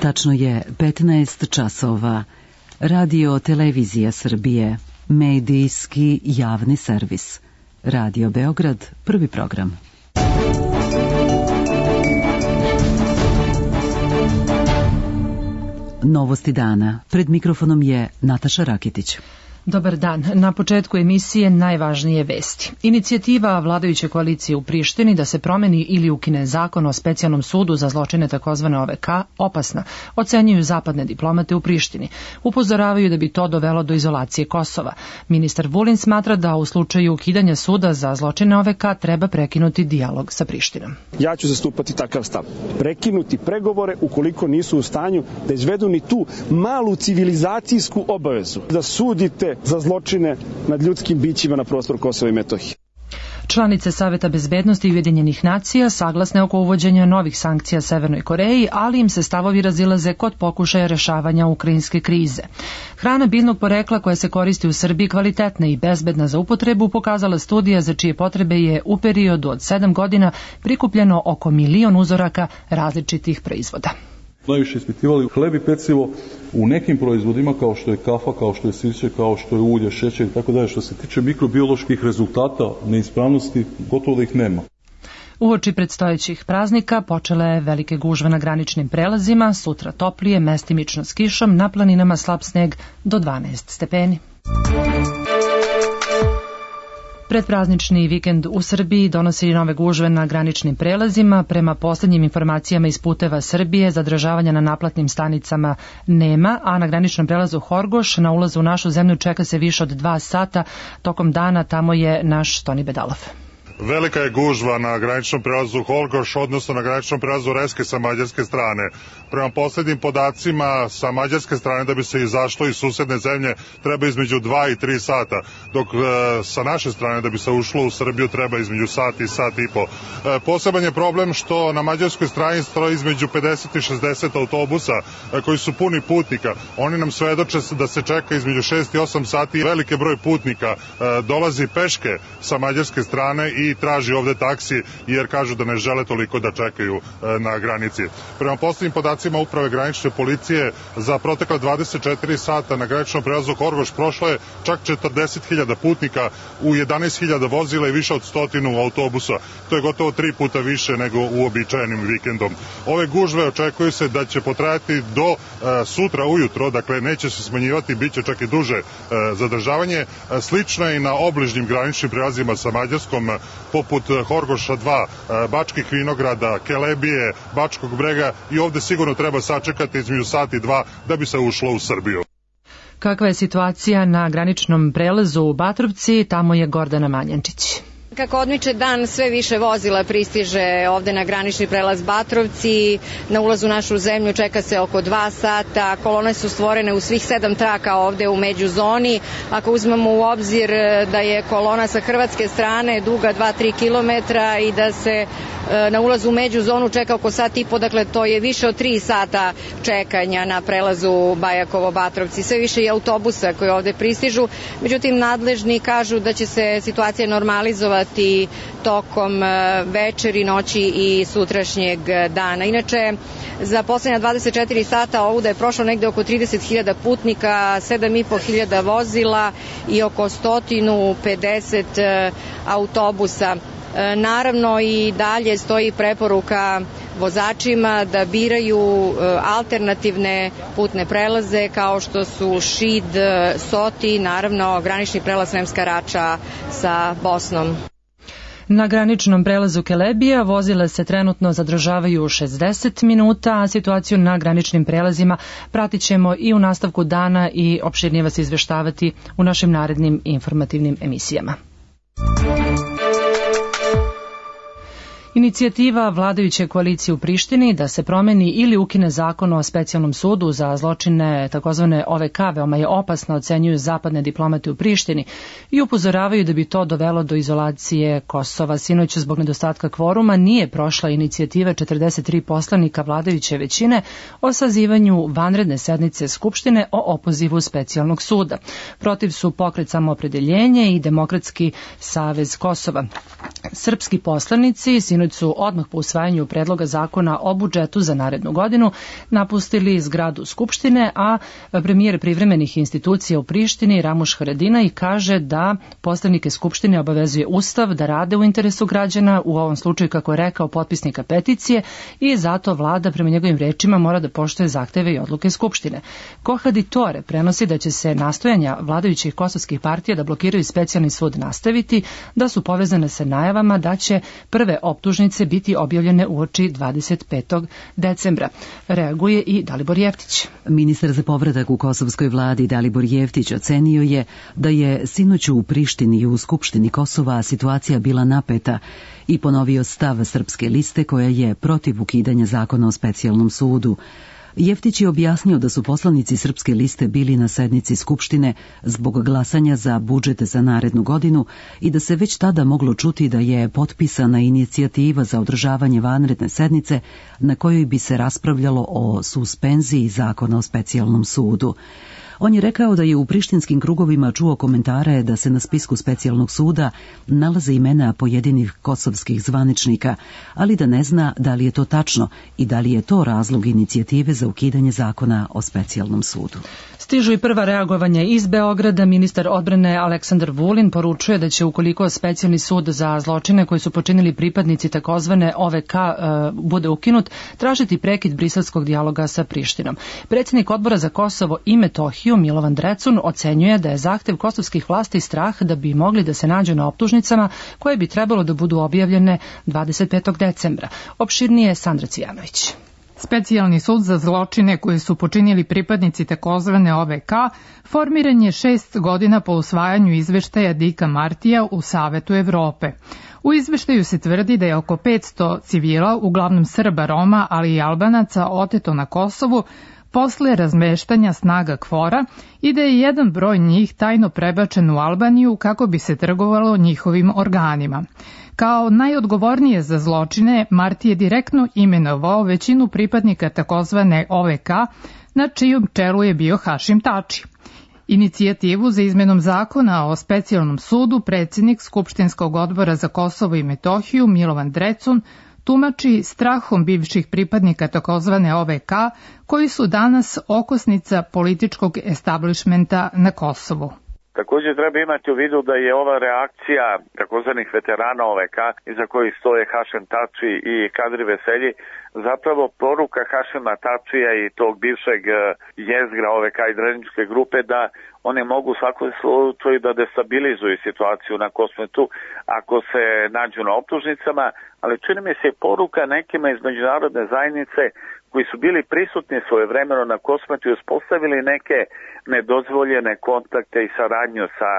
Tačno je 15 časova. Radio Televizija Srbije, medijski javni servis. Radio Beograd, prvi program. Novosti dana. Pred mikrofonom je Nataša Rakitić. Dobar dan. Na početku emisije najvažnije vesti. Inicijativa vladajuće koalicije u Prištini da se promeni ili ukine zakon o specijalnom sudu za zločine takozvane OVK opasna, ocenjuju zapadne diplomate u Prištini. Upozoravaju da bi to dovelo do izolacije Kosova. Ministar Vulin smatra da u slučaju ukidanja suda za zločine OVK treba prekinuti dijalog sa Prištinom. Ja ću zastupati takav stav. Prekinuti pregovore ukoliko nisu u stanju da izvedu ni tu malu civilizacijsku obavezu da sudite za zločine nad ljudskim bićima na prostoru Kosova i Metohije. Članice Saveta bezbednosti Ujedinjenih nacija saglasne oko uvođenja novih sankcija Severnoj Koreji, ali im se stavovi razilaze kod pokušaja rešavanja ukrajinske krize. Hrana biljnog porekla koja se koristi u Srbiji kvalitetna i bezbedna za upotrebu pokazala studija za čije potrebe je u periodu od 7 godina prikupljeno oko 1 milion uzoraka različitih proizvoda. Najviše ispitivali hleb i pecivo u nekim proizvodima kao što je kafa, kao što je sirće, kao što je ulje, šećer i tako dalje. Što se tiče mikrobioloških rezultata neispravnosti, gotovo da ih nema. Uoči predstojećih praznika počele velike gužve na graničnim prelazima, sutra toplije, mestimično s kišom, na planinama slab sneg do 12 stepeni. Predpraznični vikend u Srbiji donosi nove gužve na graničnim prelazima. Prema poslednjim informacijama iz Puteva Srbije, zadržavanja na naplatnim stanicama nema, a na graničnom prelazu Horgoš na ulazu u našu zemlju čeka se više od 2 sata. Tokom dana tamo je naš Toni Bedalov. Velika je gužva na graničnom prelazu Horgoš, odnosno na graničnom prelazu Reske sa mađarske strane. Prema poslednjim podacima sa mađarske strane da bi se izašlo iz susedne zemlje treba između 2 i 3 sata, dok sa naše strane da bi se ušlo u Srbiju treba između sat i sat i po. Poseban je problem što na mađarskoj strani stoji između 50 i 60 autobusa koji su puni putnika. Oni nam svedoče da se čeka između 6 i 8 sati. Veliki broj putnika dolazi peške sa mađarske strane i traži ovde taksi jer kažu da ne žele toliko da čekaju na granici. Prema poslednjim podacima Uprave granične policije za protekla 24 sata na graničnom prelazu Horgoš prošlo je čak 40.000 putnika u 11.000 vozila i više od 100 autobusa. To je gotovo 3 puta više nego uobičajenim vikendom. Ove gužve očekuju se da će potrajati do sutra ujutro, dakle neće se smanjivati, bit će čak i duže zadržavanje. Slično je i na obližnjim graničnim prelazima sa Mađarskom, poput Horgoša 2, Bačkih Vinograda, Kelebije, Bačkog Brega i ovde sigurno treba sačekati između sat i 2 da bi se ušlo u Srbiju. Kakva je situacija na graničnom prelazu u Batrovci? Tamo je Gordana Manjančić. Kako odmiče dan, sve više vozila pristiže ovde na granični prelaz Batrovci. Na ulazu u našu zemlju čeka se oko 2 sata. Kolone su stvorene u svih 7 traka ovde u međuzoni. Ako uzmemo u obzir da je kolona sa hrvatske strane duga 2-3 kilometra i da se na ulazu u međuzonu čeka oko sat i po, dakle to je više od 3 sata čekanja na prelazu Bajakovo-Batrovci. Sve više i autobusa koji ovde pristižu. Međutim, nadležni kažu da će se situacija normalizovati tokom večeri, noći i sutrašnjeg dana. Inače, za poslednja 24 sata ovuda je prošlo negde oko 30.000 putnika, 7.500 vozila i oko 150 autobusa. Naravno i dalje stoji preporuka vozačima da biraju alternativne putne prelaze kao što su Šid, Soti, naravno granični prelaz Sremska Rača sa Bosnom. Na graničnom prelazu Kelebija vozila se trenutno zadržavaju 60 minuta, a situaciju na graničnim prelazima pratit ćemo i u nastavku dana i opširnije vas izveštavati u našim narednim informativnim emisijama. Inicijativa vladajuće koalicije u Prištini da se promeni ili ukine zakon o specijalnom sudu za zločine takozvane OVK veoma je opasna, ocenjuju zapadne diplomate u Prištini i upozoravaju da bi to dovelo do izolacije Kosova. Sinoć zbog nedostatka kvoruma nije prošla inicijativa 43 poslanika vladajuće većine o sazivanju vanredne sednice Skupštine o opozivu specijalnog suda. Protiv su Pokret Samoopredeljenje i Demokratski savez Kosova. Srpski poslanici sinoć su odmah po usvajanju predloga zakona o budžetu za narednu godinu napustili zgradu Skupštine, a premijer privremenih institucija u Prištini Ramuš Haradinaj kaže da poslanike Skupštine obavezuje Ustav da rade u interesu građana, u ovom slučaju, kako je rekao, potpisnika peticije, i zato vlada prema njegovim rečima mora da poštuje zahteve i odluke Skupštine. Kohadi Tore prenosi da će se nastojanja vladajućih kosovskih partija da blokiraju specijalni sud nastaviti, da su povezane sa najavama da će prve optužnice biti objavljene uoči 25. decembra. Reaguje i Dalibor Jeftić. Ministar za povratak u kosovskoj vladi Dalibor Jeftić ocenio je da je sinoć u Prištini i u Skupštini Kosova situacija bila napeta i ponovio stav Srpske liste koja je protiv ukidanja zakona o specijalnom sudu. Jeftić je objasnio da su poslanici Srpske liste bili na sednici Skupštine zbog glasanja za budžet za narednu godinu i da se već tada moglo čuti da je potpisana inicijativa za održavanje vanredne sednice na kojoj bi se raspravljalo o suspenziji zakona o specijalnom sudu. On je rekao da je u prištinskim krugovima čuo komentare da se na spisku specijalnog suda nalaze imena pojedinih kosovskih zvaničnika, ali da ne zna da li je to tačno i da li je to razlog inicijative za ukidanje zakona o specijalnom sudu. Stižu i prva reagovanja iz Beograda. Ministar odbrane Aleksandar Vulin poručuje da će, ukoliko specijalni sud za zločine koji su počinili pripadnici takozvane OVK bude ukinut, tražiti prekid briselskog dijaloga sa Prištinom. Predsjednik Odbora za Kosovo i Metohiju Milovan Drecun ocenjuje da je zahtev kosovskih vlasti strah da bi mogli da se nađu na optužnicama koje bi trebalo da budu objavljene 25. decembra. Opširnije Sandra Cvijanović. Specijalni sud za zločine koji su počinili pripadnici takozvane OVK formiran je 6 godina po usvajanju izveštaja Dika Martija u Savetu Evrope. U izveštaju se tvrdi da je oko 500 civila, uglavnom Srba, Roma, ali i Albanaca, oteto na Kosovu posle razmeštanja snaga KFOR-a i da je jedan broj njih tajno prebačen u Albaniju kako bi se trgovalo njihovim organima. Kao najodgovornije za zločine, Marti je direktno imenovao većinu pripadnika takozvane OVK, na čijom čelu je bio Hašim Tači. Inicijativu za izmenom zakona o specijalnom sudu predsjednik Skupštinskog odbora za Kosovo i Metohiju Milovan Drecun tumači strahom bivših pripadnika takozvane OVK koji su danas okosnica političkog establishmenta na Kosovu. Također treba imati u vidu da je ova reakcija takozvanih veterana OVK, iza kojih stoje Hašim Tači i Kadri Veselji, zapravo poruka Hašima Tačija i tog bivšeg jezgra OVK i Dreničke grupe da one mogu u svakom slučaju da destabilizuju situaciju na Kosmetu ako se nađu na optužnicama, ali čini mi se poruka nekima iz međunarodne zajednice koji su bili prisutni svojevremeno na Kosmetu i uspostavili neke nedozvoljene kontakte i saradnju sa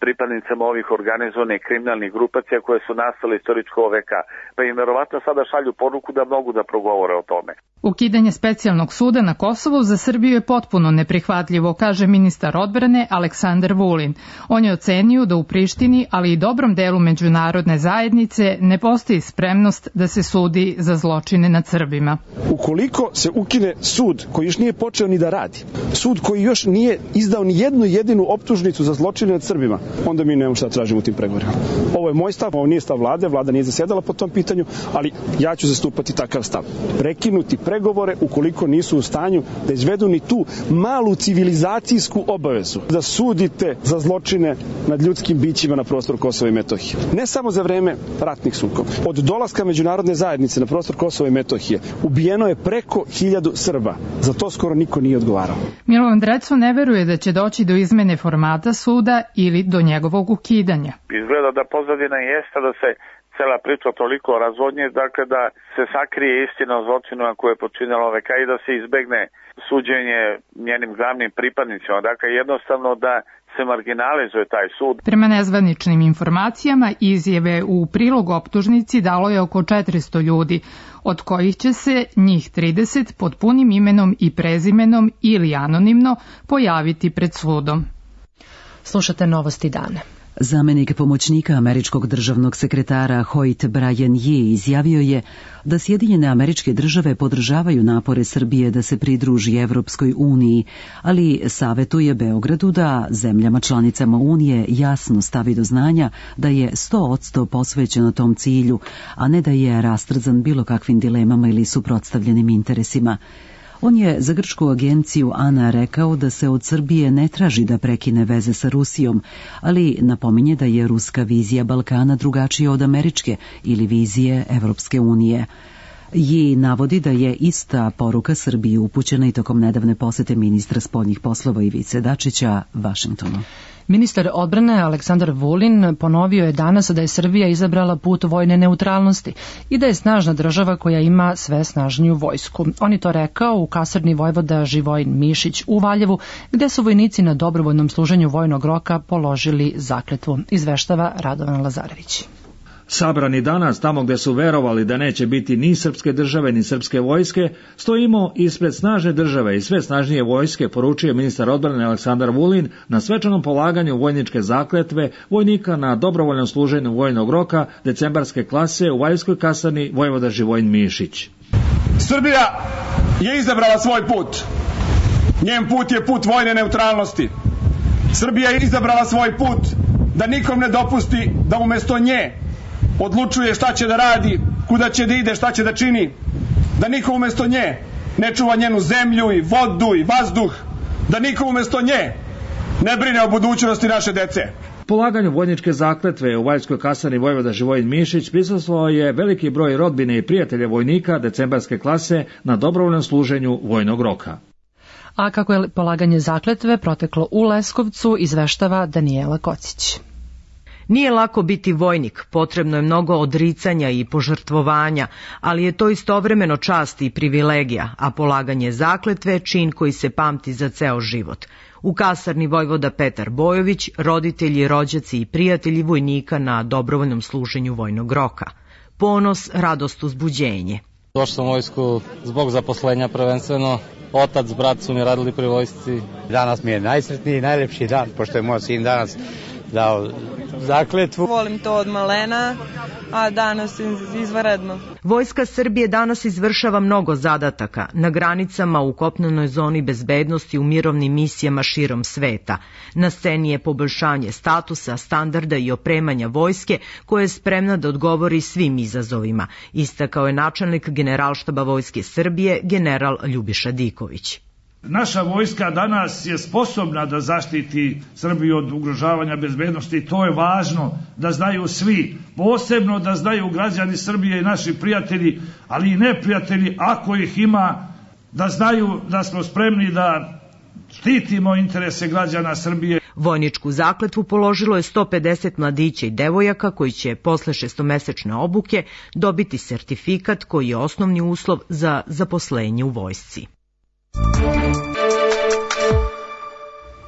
pripadnicama ovih organizovanih kriminalnih grupacija koje su nastale istoričko OVK. Pa im verovatno sada šalju poruku da mogu da progovore o tome. Ukidanje specijalnog suda na Kosovu za Srbiju je potpuno neprihvatljivo, kaže ministar odbrane Aleksandar Vulin. On je ocenio da u Prištini, ali i dobrom delu međunarodne zajednice, ne postoji spremnost da se sudi za zločine nad Srbima. Ukoliko se ukine sud koji još nije počeo ni da radi, sud koji još nije izdao ni jednu jedinu optužnicu za zločine nad Srbima, onda mi nemamo šta tražimo u tim pregovorima. Ovo je moj stav, ovo nije stav vlade, vlada nije zasedala po tom pitanju, ali ja ću zastupati takav stav. Prekinuti pregovore ukoliko nisu u stanju da izvedu ni tu malu civilizacijsku obavezu da sudite za zločine nad ljudskim bićima na prostoru Kosova i Metohije. Ne samo za vreme ratnih sukoba. Od dolaska međunarodne zajednice na prostor Kosova i Metohije ubijeno je preko 1000 Srba. Za to skoro niko nije odgovarao. Milovan Drecun ne veruje da će doći do izmene formata suda ili do njegovog ukidanja. Izgleda da pozadina jeste da se cela priča toliko razvodnje, dakle da se sakrije istina o zločinima koje je počinila OVK i da se izbegne suđenje njenim glavnim pripadnicima. Dakle, jednostavno da se marginalizuje taj sud. Prema nezvaničnim informacijama, izjave u prilog optužnici dalo je oko 400 ljudi, od kojih će se njih 30 pod punim imenom i prezimenom ili anonimno pojaviti pred sudom. Slušate Novosti dana. Zamenik pomoćnika američkog državnog sekretara Hoyt Brian Yee izjavio je da Sjedinjene Američke Države podržavaju napore Srbije da se pridruži Evropskoj uniji, ali savetuje Beogradu da zemljama članicama Unije jasno stavi do znanja da je 100% posvećeno tom cilju, a ne da je rastrzan bilo kakvim dilemama ili suprotstavljenim interesima. On je za grčku agenciju ANA rekao da se od Srbije ne traži da prekine veze sa Rusijom, ali napominje da je ruska vizija Balkana drugačija od američke ili vizije Evropske unije. Yi navodi da je ista poruka Srbiji upućena i tokom nedavne posete ministra spoljnih poslova Ivice Dačića Vašingtonu. Ministar odbrane Aleksandar Vulin ponovio je danas da je Srbija izabrala put vojne neutralnosti i da je snažna država koja ima sve snažniju vojsku. On je to rekao u kasarni vojvoda Živojin Mišić u Valjevu, gde su vojnici na dobrovoljnom služenju vojnog roka položili zakletvu, izveštava Radovan Lazarević. Sabrani danas, tamo gde su verovali da neće biti ni srpske države ni srpske vojske, stojimo ispred snažne države i sve snažnije vojske, poručio ministar odbrane Aleksandar Vulin na svečanom polaganju vojničke zakletve vojnika na dobrovoljnom služenju vojnog roka decembarske klase u Valjevskoj kasarni vojvoda Živojin Mišić. Srbija je izabrala svoj put. Njen put je put vojne neutralnosti. Srbija je izabrala svoj put da nikom ne dopusti da umesto nje odlučuje šta će da radi, kuda će da ide, šta će da čini, da niko umesto nje ne čuva njenu zemlju i vodu i vazduh, da niko umesto nje ne brine o budućnosti naše dece. Polaganju vojničke zakletve u Valjevskoj kasarni vojvoda Živojin Mišić prisustvovao je veliki broj rodbine i prijatelja vojnika decembarske klase na dobrovoljnom služenju vojnog roka. A kako je polaganje zakletve proteklo u Leskovcu, izveštava Danijela Kocić. Nije lako biti vojnik, potrebno je mnogo odricanja i požrtvovanja, ali je to istovremeno čast i privilegija, a polaganje zakletve je čin koji se pamti za ceo život. U kasarni vojvoda Petar Bojović, roditelji, rođaci i prijatelji vojnika na dobrovoljnom služenju vojnog roka. Ponos, radost, uzbuđenje. Došao sam u vojsku zbog zaposlenja prvenstveno. Otac, brat su mi radili pri vojsci. Danas mi je najsretniji i najlepši dan, pošto je moj sin danas dao zakletvu. Volim to od malena, a danas izvanredno. Vojska Srbije danas izvršava mnogo zadataka na granicama, u kopnenoj zoni bezbednosti, u mirovnim misijama širom sveta. Na sceni je poboljšanje statusa, standarda i opremanja vojske koja je spremna da odgovori svim izazovima, istakao je načelnik Generalštaba Vojske Srbije, general Ljubiša Diković. Naša vojska danas je sposobna da zaštiti Srbiju od ugrožavanja bezbednosti. To je važno da znaju svi, posebno da znaju građani Srbije i naši prijatelji, ali i neprijatelji, ako ih ima, da znaju da smo spremni da štitimo interese građana Srbije. Vojničku zakletvu položilo je 150 mladića i devojaka koji će posle 6-mesečne obuke dobiti sertifikat koji je osnovni uslov za zaposlenje u vojsci.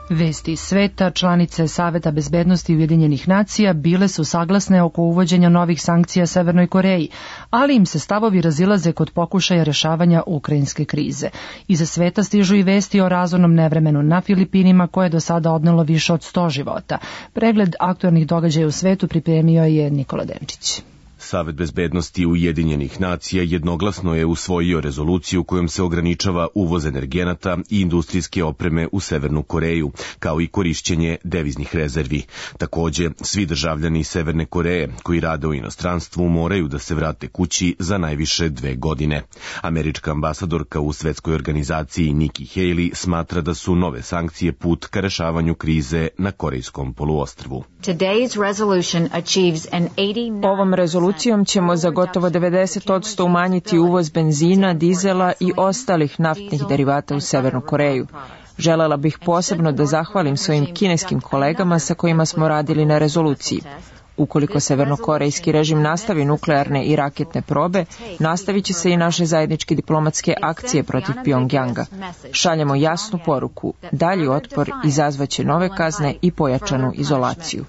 Vesti iz sveta, članice Saveta bezbednosti Ujedinjenih nacija bile su saglasne oko uvođenja novih sankcija Severnoj Koreji, ali im se stavovi razilaze kod pokušaja rešavanja ukrajinske krize. Iza sveta stižu i vesti o razornom nevremenu na Filipinima koje je do sada odnelo više od 100 života. Pregled aktualnih događaja u svetu pripremio je Nikola Denčić. Savet bezbednosti Ujedinjenih nacija jednoglasno je usvojio rezoluciju kojom se ograničava uvoz energenata i industrijske opreme u Severnu Koreju, kao i korišćenje deviznih rezervi. Takođe, svi državljani Severne Koreje koji rade u inostranstvu moraju da se vrate kući za najviše 2 godine. Američka ambasadorka u svetskoj organizaciji Nikki Haley smatra da su nove sankcije put ka rešavanju krize na Korejskom poluostrvu. Ovom rezolucijom ćemo za gotovo 90% umanjiti uvoz benzina, dizela i ostalih naftnih derivata u Severnu Koreju. Želela bih posebno da zahvalim svojim kineskim kolegama sa kojima smo radili na rezoluciji. Ukoliko severnokorejski režim nastavi nuklearne i raketne probe, nastavit će se i naše zajedničke diplomatske akcije protiv Pjongjanga. Šaljemo jasnu poruku, dalji otpor izazvaće nove kazne i pojačanu izolaciju.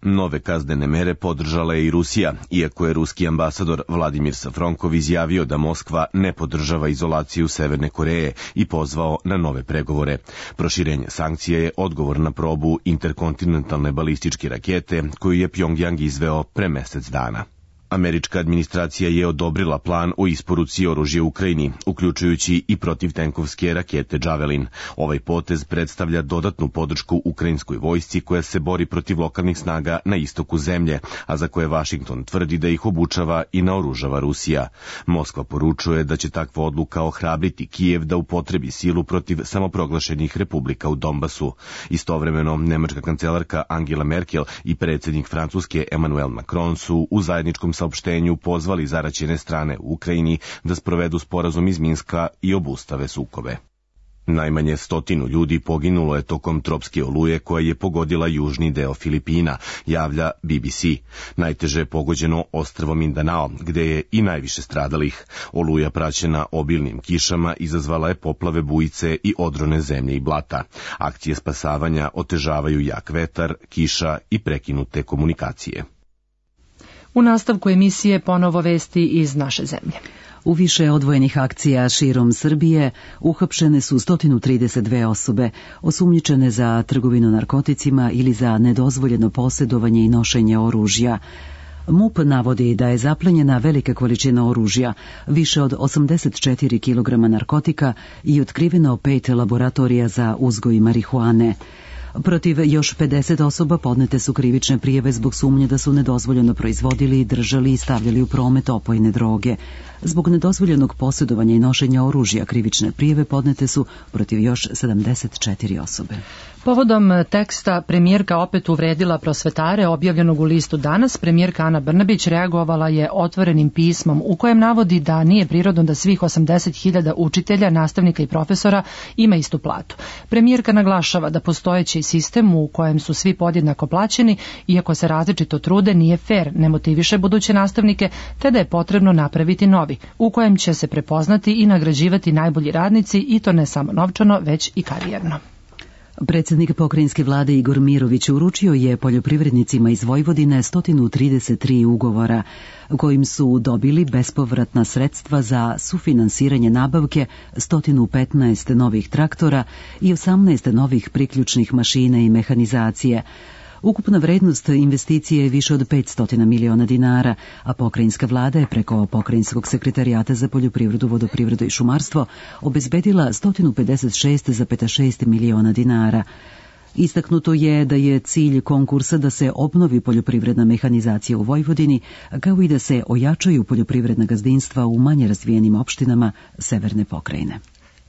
Nove kaznene mere podržala je i Rusija, iako je ruski ambasador Vladimir Safronkov izjavio da Moskva ne podržava izolaciju Severne Koreje i pozvao na nove pregovore. Proširenje sankcija je odgovor na probu interkontinentalne balističke rakete koju je Pjongjang izveo pre mesec dana. Američka administracija je odobrila plan o isporuci oružja Ukrajini, uključujući i protivtenkovske rakete Javelin. Ovaj potez predstavlja dodatnu podršku ukrajinskoj vojsci koja se bori protiv lokalnih snaga na istoku zemlje, a za koje Vašington tvrdi da ih obučava i naoružava Rusija. Moskva poručuje da će takva odluka ohrabriti Kijev da upotrebi silu protiv samoproglašenih republika u Donbasu. Istovremeno, nemačka kancelarka Angela Merkel i predsjednik Francuske Emmanuel Macron su u zajedničkom saopštenju pozvali zaraćene strane u Ukrajini da sprovedu sporazum iz Minska i obustave sukobe. Najmanje 100 ljudi poginulo je tokom tropske oluje koja je pogodila južni deo Filipina, javlja BBC. Najteže je pogođeno ostrvo Mindanao, gde je i najviše stradalih. Oluja praćena obilnim kišama izazvala je poplave bujice i odrone zemlje i blata. Akcije spasavanja otežavaju jak vetar, kiša i prekinute komunikacije. U nastavku emisije ponovo vesti iz naše zemlje. U više odvojenih akcija širom Srbije uhapšene su 132 osobe, osumnjičene za trgovinu narkoticima ili za nedozvoljeno posjedovanje i nošenje oružja. MUP navodi da je zaplenjena velika količina oružja, više od 84 kg narkotika i otkriveno 5 laboratorija za uzgoj marihuane. Protiv još 50 osoba podnete su krivične prijave zbog sumnje da su nedozvoljeno proizvodili, držali i stavljali u promet opojne droge. Zbog nedozvoljenog posjedovanja i nošenja oružja krivične prijave podnete su protiv još 74 osobe. Povodom teksta premijerka opet uvredila prosvetare objavljenog u listu Danas, premijerka Ana Brnabić reagovala je otvorenim pismom u kojem navodi da nije prirodno da svih 80.000 učitelja, nastavnika i profesora ima istu platu. Premijerka naglašava da postojeći sistem u kojem su svi podjednako plaćeni, iako se različito trude, nije fer, ne motiviše buduće nastavnike, te da je potrebno napraviti novi, u kojem će se prepoznati i nagrađivati najbolji radnici i to ne samo novčano, već i karijerno. Predsjednik pokrajinske vlade Igor Mirović uručio je poljoprivrednicima iz Vojvodine 133 ugovora kojim su dobili bespovratna sredstva za sufinansiranje nabavke 115 novih traktora i 18 novih priključnih mašina i mehanizacije. Ukupna vrednost investicije je više od 500 miliona dinara, a pokrajinska vlada je preko Pokrajinskog sekretarijata za poljoprivredu, vodoprivredu i šumarstvo obezbedila 156,6 miliona dinara. Istaknuto je da je cilj konkursa da se obnovi poljoprivredna mehanizacija u Vojvodini, kao i da se ojačaju poljoprivredna gazdinstva u manje razvijenim opštinama severne pokrajine.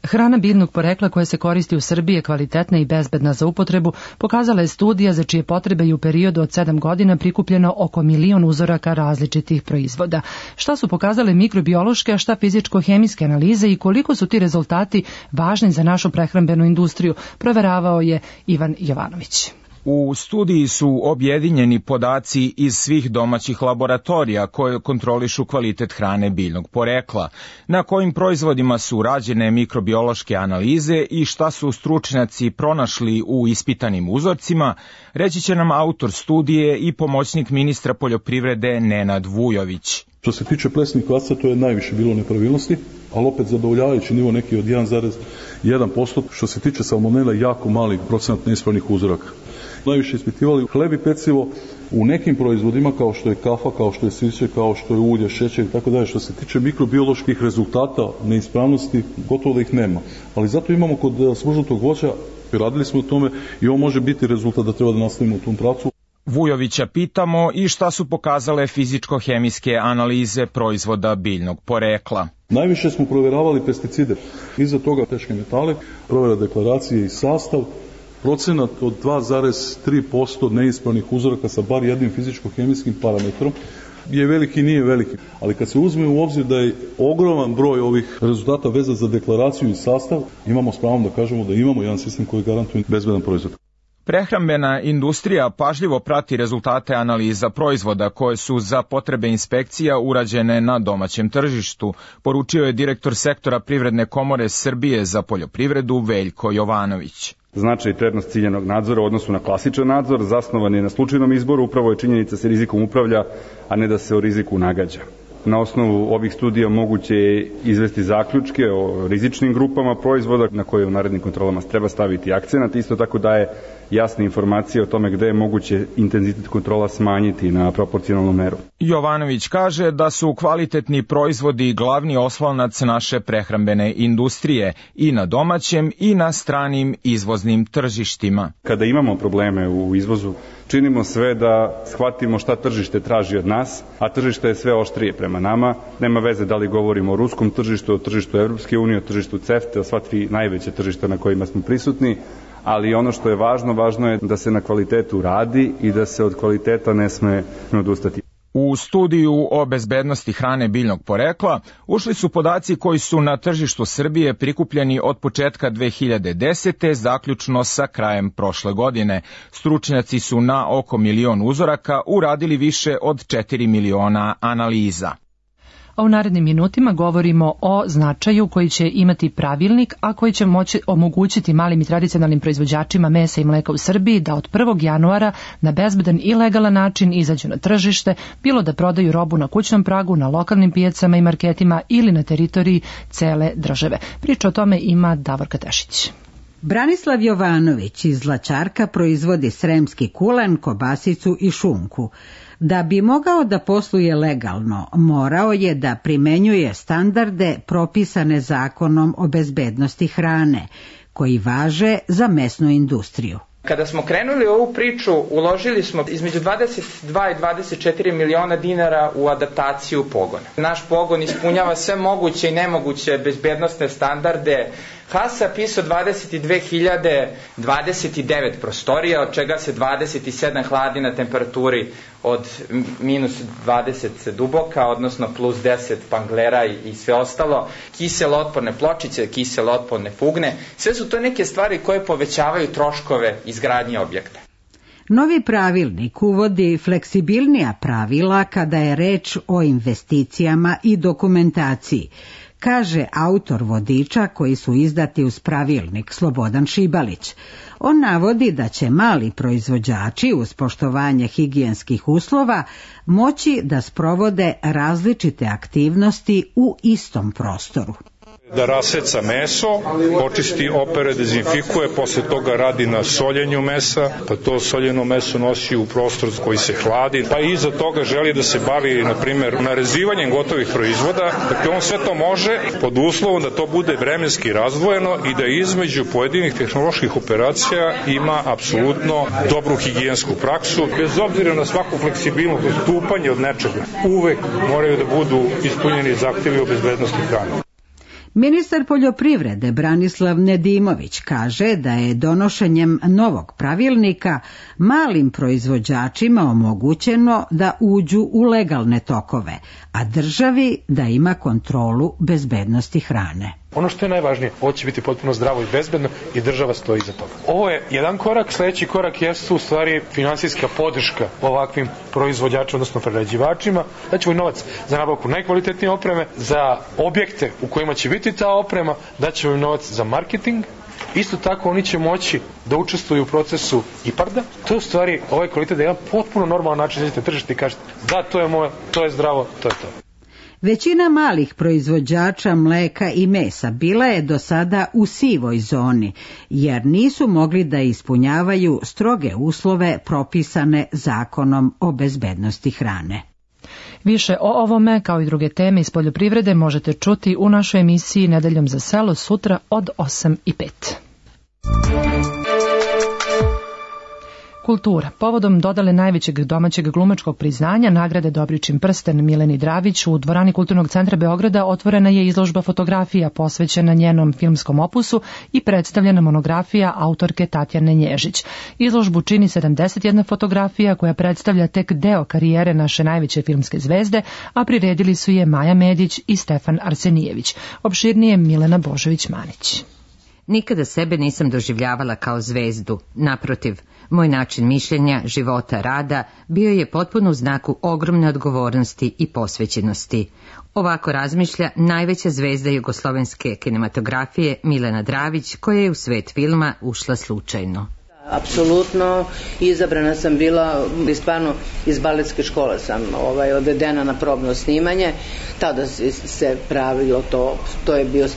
Hrana biljnog porekla koja se koristi u Srbiji je kvalitetna i bezbedna za upotrebu, pokazala je studija za čije potrebe je u periodu od 7 godina prikupljeno oko 1 milion uzoraka različitih proizvoda. Šta su pokazale mikrobiološke, a šta fizičko-hemijske analize i koliko su ti rezultati važni za našu prehrambenu industriju, proveravao je Ivan Jovanović. U studiji su objedinjeni podaci iz svih domaćih laboratorija koje kontrolišu kvalitet hrane biljnog porekla, na kojim proizvodima su rađene mikrobiološke analize i šta su stručnjaci pronašli u ispitanim uzorcima, reći će nam autor studije i pomoćnik ministra poljoprivrede Nenad Vujović. Što se tiče plesnih kvasaca, to je najviše bilo nepravilnosti, ali opet zadovoljavajući nivo neki od 1,1%. Što se tiče salmonela, jako mali procenat neispravnih uzoraka. Najviše ispitivali hleb i pecivo u nekim proizvodima kao što je kafa, kao što je sirće, kao što je ulje, šećer i tako dalje. Što se tiče mikrobioloških rezultata neispravnosti, gotovo da ih nema. Ali zato imamo kod smržnutog voća, radili smo o tome i ovo može biti rezultat da treba da nastavimo u tom pravcu. Vujovića pitamo i šta su pokazale fizičko-hemijske analize proizvoda biljnog porekla. Najviše smo provjeravali pesticide, iza toga teške metale, provjera deklaracije i sastav, procenat od 2,3% neispravnih uzoraka sa bar jednim fizičko-hemijskim parametrom je veliki, nije veliki. Ali kad se uzme u obzir da je ogroman broj ovih rezultata vezan za deklaraciju i sastav, imamo s pravom da kažemo da imamo jedan sistem koji garantuje bezbedan proizvod. Prehrambena industrija pažljivo prati rezultate analiza proizvoda koje su za potrebe inspekcija urađene na domaćem tržištu, poručio je direktor sektora Privredne komore Srbije za poljoprivredu Veljko Jovanović. Značaj i prednost ciljanog nadzora u odnosu na klasičan nadzor zasnovan je na slučajnom izboru, upravo je činjenica da se rizikom upravlja, a ne da se o riziku nagađa. Na osnovu ovih studija moguće je izvesti zaključke o rizičnim grupama proizvoda na koje u narednim kontrolama treba staviti akcenat, isto tako daje jasne informacije o tome gde je moguće intenzitet kontrola smanjiti na proporcionalnu meru. Jovanović kaže da su kvalitetni proizvodi glavni oslonac naše prehrambene industrije i na domaćem i na stranim izvoznim tržištima. Kada imamo probleme u izvozu, činimo sve da shvatimo šta tržište traži od nas, a tržište je sve oštrije prema nama. Nema veze da li govorimo o ruskom tržištu, o tržištu Evropske unije, o tržištu CEFTA, o sva tri najveće tržišta na kojima smo prisutni, ali ono što je važno je da se na kvalitetu radi i da se od kvaliteta ne sme odustati. U studiju o bezbednosti hrane biljnog porekla ušli su podaci koji su na tržištu Srbije prikupljeni od početka 2010. zaključno sa krajem prošle godine. Stručnjaci su na oko 1.000.000 uzoraka uradili više od 4 miliona analiza. A u narednim minutima govorimo o značaju koji će imati pravilnik, a koji će moći omogućiti malim i tradicionalnim proizvođačima mesa i mleka u Srbiji da od 1. januara na bezbedan i legalan način izađu na tržište, bilo da prodaju robu na kućnom pragu, na lokalnim pijacama i marketima ili na teritoriji cele države. Priča o tome ima Davorka Tešić. Branislav Jovanović iz Zlačarka proizvodi sremski kulen, kobasicu i šunku. Da bi mogao da posluje legalno, morao je da primenjuje standarde propisane Zakonom o bezbednosti hrane, koji važe za mesnu industriju. Kada smo krenuli ovu priču, uložili smo između 22 i 24 miliona dinara u adaptaciju pogona. Naš pogon ispunjava sve moguće i nemoguće bezbednosne standarde. HASAP ISO 22.029 prostorija, od čega se 27 hladi na temperaturi od minus 20 duboka, odnosno plus 10 panglera i sve ostalo, kiselo otporne pločice, kiselo otporne fugne, sve su to neke stvari koje povećavaju troškove izgradnje objekta. Novi pravilnik uvodi fleksibilnija pravila kada je reč o investicijama i dokumentaciji, kaže autor vodiča koji su izdati uz pravilnik Slobodan Šibalić. On navodi da će mali proizvođači uz poštovanje higijenskih uslova moći da sprovode različite aktivnosti u istom prostoru. Da raseca meso, očisti, opere, dezinfikuje, posle toga radi na soljenju mesa, pa to soljeno meso nosi u prostor koji se hladi, pa iza toga želi da se bavi, na primjer, narezivanjem gotovih proizvoda. Dakle, on sve to može pod uslovom da to bude vremenski razdvojeno i da između pojedinih tehnoloških operacija ima apsolutno dobru higijensku praksu. Bez obzira na svaku fleksibilnost, odstupanje od nečega, uvek moraju da budu ispunjeni zahtevi o bezbednosti hrane. Ministar poljoprivrede Branislav Nedimović kaže da je donošenjem novog pravilnika malim proizvođačima omogućeno da uđu u legalne tokove, a državi da ima kontrolu bezbednosti hrane. Ono što je najvažnije, ovo će biti potpuno zdravo i bezbedno i država stoji iza toga. Ovo je jedan korak, sledeći korak jeste u stvari finansijska podrška ovakvim proizvođačima, odnosno prerađivačima. Daćemo i novac za nabavku najkvalitetnije opreme, za objekte u kojima će biti ta oprema, daćemo im novac za marketing. Isto tako oni će moći da učestvuju u procesu IPARD-a. To je u stvari ovaj kvalitet da je jedan potpuno normalan način da tržište i kažete da, to je moje, to je zdravo, to je to. Većina malih proizvođača mleka i mesa bila je do sada u sivoj zoni, jer nisu mogli da ispunjavaju stroge uslove propisane Zakonom o bezbednosti hrane. Više o ovome, kao i druge teme iz poljoprivrede, možete čuti u našoj emisiji Nedeljom za selo sutra od 8:05. Kultura. Povodom dodale najvećeg domaćeg glumačkog priznanja nagrade Dobričin prsten Mileni Dravić u dvorani Kulturnog centra Beograda otvorena je izložba fotografija posvećena njenom filmskom opusu i predstavljena monografija autorke Tatjane Nježić. Izložbu čini 71 fotografija koja predstavlja tek deo karijere naše najveće filmske zvezde, a priredili su je Maja Medić i Stefan Arsenijević. Opširnije Milena Božović-Manić. Nikada sebe nisam doživljavala kao zvezdu. Naprotiv, moj način mišljenja, života, rada bio je potpuno u znaku ogromne odgovornosti i posvećenosti. Ovako razmišlja najveća zvezda jugoslovenske kinematografije Milena Dravić, koja je u svet filma ušla slučajno. Apsolutno, izabrana sam bila, stvarno iz baletske škole sam odvedena na probno snimanje, tada se pravilo to je bio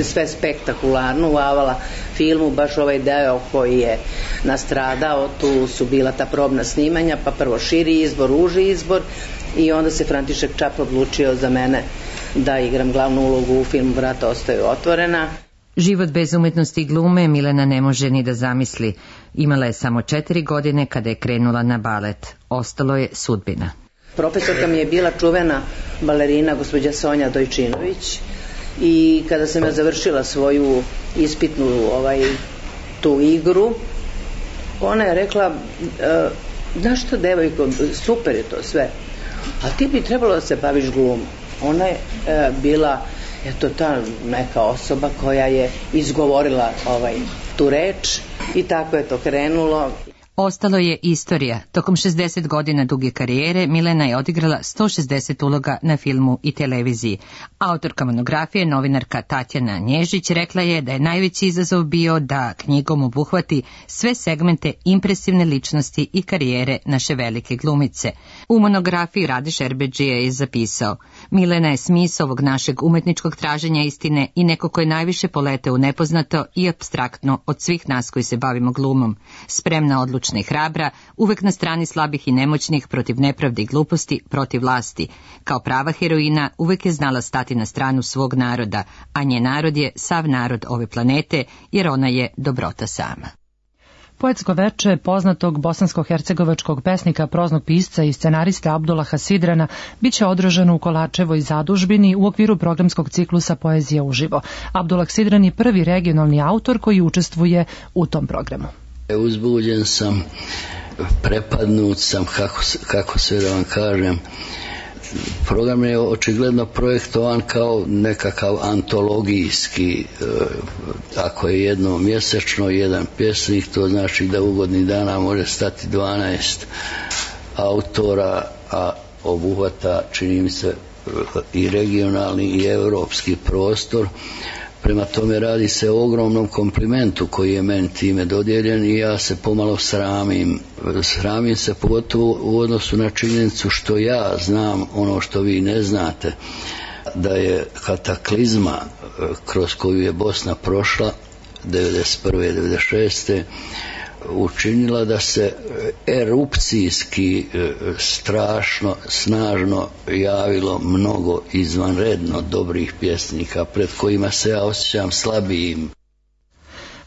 sve spektakularno u Avala filmu, baš ovaj deo koji je nastradao, tu su bila ta probna snimanja, pa prvo širi izbor, uži izbor i onda se František Čap odlučio za mene da igram glavnu ulogu u filmu Vrata ostaju otvorena. Život bez umetnosti i glume Milena ne može ni da zamisli. Imala je samo 4 godine kada je krenula na balet. Ostalo je sudbina. Profesorka mi je bila čuvena balerina gospođa Sonja Dojčinović i kada sam ja završila svoju ispitnu tu igru, ona je rekla, znaš što devojko, super je to sve, a ti bi trebalo da se baviš glumom. Ona je bila ta neka osoba koja je izgovorila tu reč i tako je to krenulo. Ostalo je istorija. Tokom 60 godina duge karijere Milena je odigrala 160 uloga na filmu i televiziji. Autorka monografije, novinarka Tatjana Nježić, rekla je da je najveći izazov bio da knjigom obuhvati sve segmente impresivne ličnosti i karijere naše velike glumice. U monografiji Rade Šerbedžija je zapisao: Milena je smisao ovog našeg umetničkog traženja istine i neko ko je najviše poleteo u nepoznato i apstraktno od svih nas koji se bavimo glumom. Spremna, odlučna i hrabra, uvek na strani slabih i nemoćnih, protiv nepravde i gluposti, protiv vlasti. Kao prava heroina uvek je znala stati na stranu svog naroda, a njen narod je sav narod ove planete, jer ona je dobrota sama. Poetsko veče poznatog bosansko-hercegovačkog pesnika, proznog pisca i scenarista Abdullaha Sidrana biće održano u Kolačevoj zadužbini u okviru programskog ciklusa Poezija uživo. Abdullah Sidran je prvi regionalni autor koji učestvuje u tom programu. Uzbuđen sam, prepadnut sam, kako sve da vam kažem. Program je očigledno projektovan kao nekakav antologijski, ako je jedno mjesečno, jedan pjesnik, to znači da u godini dana može stati 12 autora, a obuhvata, čini mi se, i regionalni i europski prostor. Prema tome radi se o ogromnom komplimentu koji je meni time dodijeljen i ja se pomalo sramim. Sramim se pogotovo u odnosu na činjenicu što ja znam ono što vi ne znate, da je kataklizma kroz koju je Bosna prošla 1991. 1996. učinila da se erupcijski strašno, snažno javilo mnogo izvanredno dobrih pjesnika pred kojima se ja osjećam slabijim.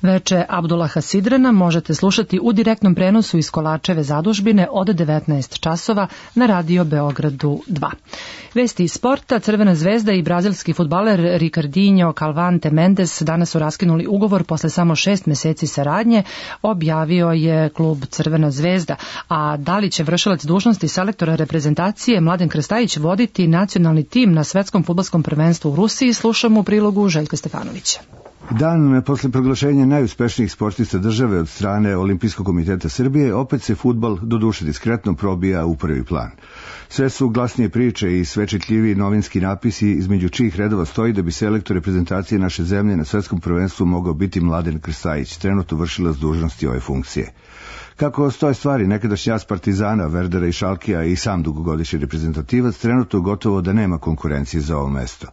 Veče Abdullaha Sidrana možete slušati u direktnom prenosu iz Kolačeve zadužbine od 19 časova na Radio Beogradu 2. Vesti iz sporta: Crvena zvezda i brazilski fudbaler Ricardinho Calvante Mendes danas su raskinuli ugovor posle samo 6 meseci saradnje, objavio je klub Crvena zvezda. A da li će vršilac dužnosti selektora reprezentacije Mladen Krstajić voditi nacionalni tim na svetskom fudbalskom prvenstvu u Rusiji, slušamo u prilogu Željka Stefanovića. Dan posle proglašenja najuspešnijih sportista države od strane Olimpijskog komiteta Srbije, opet se fudbal, doduše diskretno, probija u prvi plan. Sve su glasnije priče i sve čitljiviji novinski napisi, između čijih redova stoji da bi selektor reprezentacije naše zemlje na svetskom prvenstvu mogao biti Mladen Krstajić, trenutno vršilac dužnosti ove funkcije. Kako stoje stvari, nekadašnji as Partizana, Verdera i Šalkija i sam dugogodišnji reprezentativac trenutno gotovo da nema konkurencije za ovo mesto.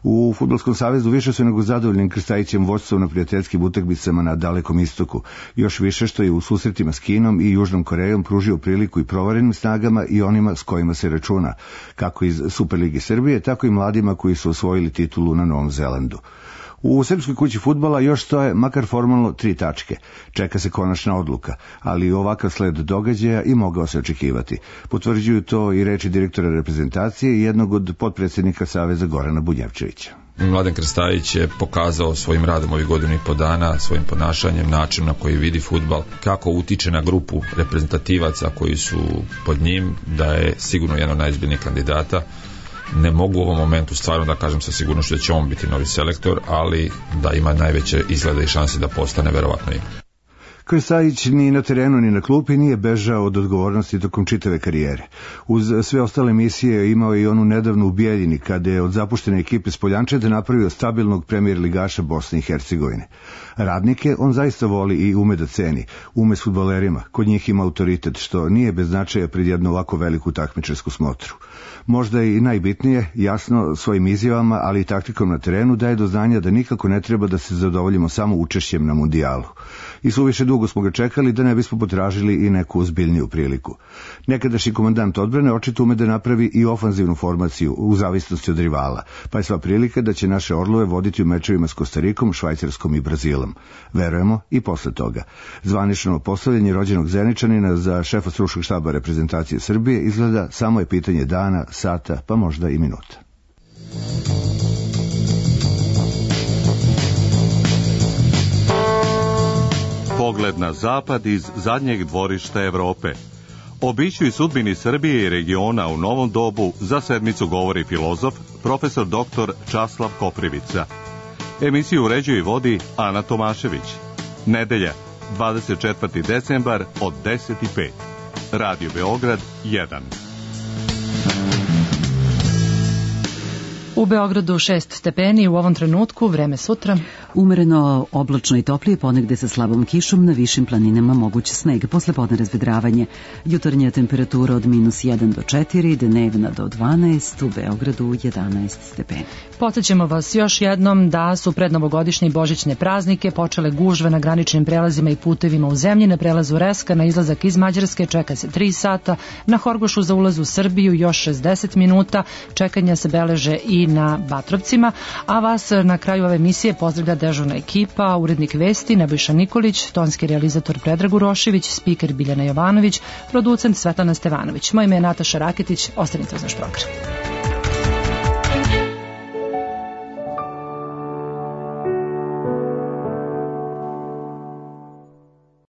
U Fudbalskom savezu više su nego zadovoljnim Krstajićem vođstvom na prijateljskim utakmicama na Dalekom istoku, još više što je u susretima s Kinom i Južnom Korejom pružio priliku i provarenim snagama i onima s kojima se računa, kako iz Superligi Srbije, tako i mladima koji su osvojili titulu na Novom Zelandu. U Srpskoj kući fudbala još stoje, makar formalno, 3 tačke. Čeka se konačna odluka, ali ovakav sled događaja i mogao se očekivati. Potvrđuju to i reči direktora reprezentacije i jednog od potpredsjednika Saveza Gorana Bunjevčevića. Mladen Krstajić je pokazao svojim radom ovih godinu i po dana, svojim ponašanjem, način na koji vidi fudbal, kako utiče na grupu reprezentativaca koji su pod njim, da je sigurno jedan od najizbiljnijih kandidata Ne mogu u ovom momentu stvarno da kažem sa sigurnošću da će on biti novi selektor, ali da ima najveće izglede i šanse da postane, verovatno ima. Krstajić ni na terenu ni na klupi nije bežao od odgovornosti tokom čitave karijere. Uz sve ostale misije imao je i onu nedavnu u Bijeljini, kada je od zapuštene ekipe s Poljančeta napravio stabilnog premijer ligaša Bosne i Hercegovine. Radnike on zaista voli i ume da ceni, ume s fudbalerima, kod njih ima autoritet, što nije bez značaja pred jednu ovako veliku takmičarsku smotru. Možda i najbitnije, jasno svojim izjavama, ali i taktikom na terenu daje do znanja da nikako ne treba da se zadovoljimo samo učešćem na mundijalu. I suviše dugo smo ga čekali da ne bismo potražili i neku ozbiljniju priliku. Nekadašnji komandant odbrane očito ume da napravi i ofanzivnu formaciju u zavisnosti od rivala, pa je sva prilika da će naše orlove voditi u mečevima s Kostarikom, Švajcarskom i Brazilom. Verujemo i posle toga. Zvanično postavljanje rođenog Zeničanina za šefa stručnog štaba reprezentacije Srbije izgleda samo je pitanje dana, sata, pa možda i minuta. Pogled na zapad iz zadnjeg dvorišta Evrope. O biću i sudbini Srbije i regiona u novom dobu za sedmicu govori filozof, profesor dr. Časlav Koprivica. Emisiju uređuje i vodi Ana Tomašević. Nedelja, 24. decembar od 10:05. Radio Beograd 1. U Beogradu 6 stepeni, u ovom trenutku vreme sutra. Umereno, oblačno i toplije, ponegde sa slabom kišom, na višim planinama moguće sneg, poslepodne razvedravanje. Jutarnja temperatura od -1 do 4, dnevna do 12, u Beogradu 11 stepeni. Podsjećamo vas još jednom da su pred novogodišnje i božićne praznike počele gužve na graničnim prelazima i putevima u zemlji. Na prelazu Reska na izlazak iz Mađarske čeka se 3 sata, na Horgošu za ulaz u Srbiju još 60 minuta, čekanja se beleže i na Batrovcima, a vas na kraju ove emisije pozdravlja dežurna ekipa, urednik vesti Nebojša Nikolić, tonski realizator Predrag Urošević, spiker Biljana Jovanović, producent Svetlana Stevanović. Moje ime je Nataša Raketić, ostanite uz naš program.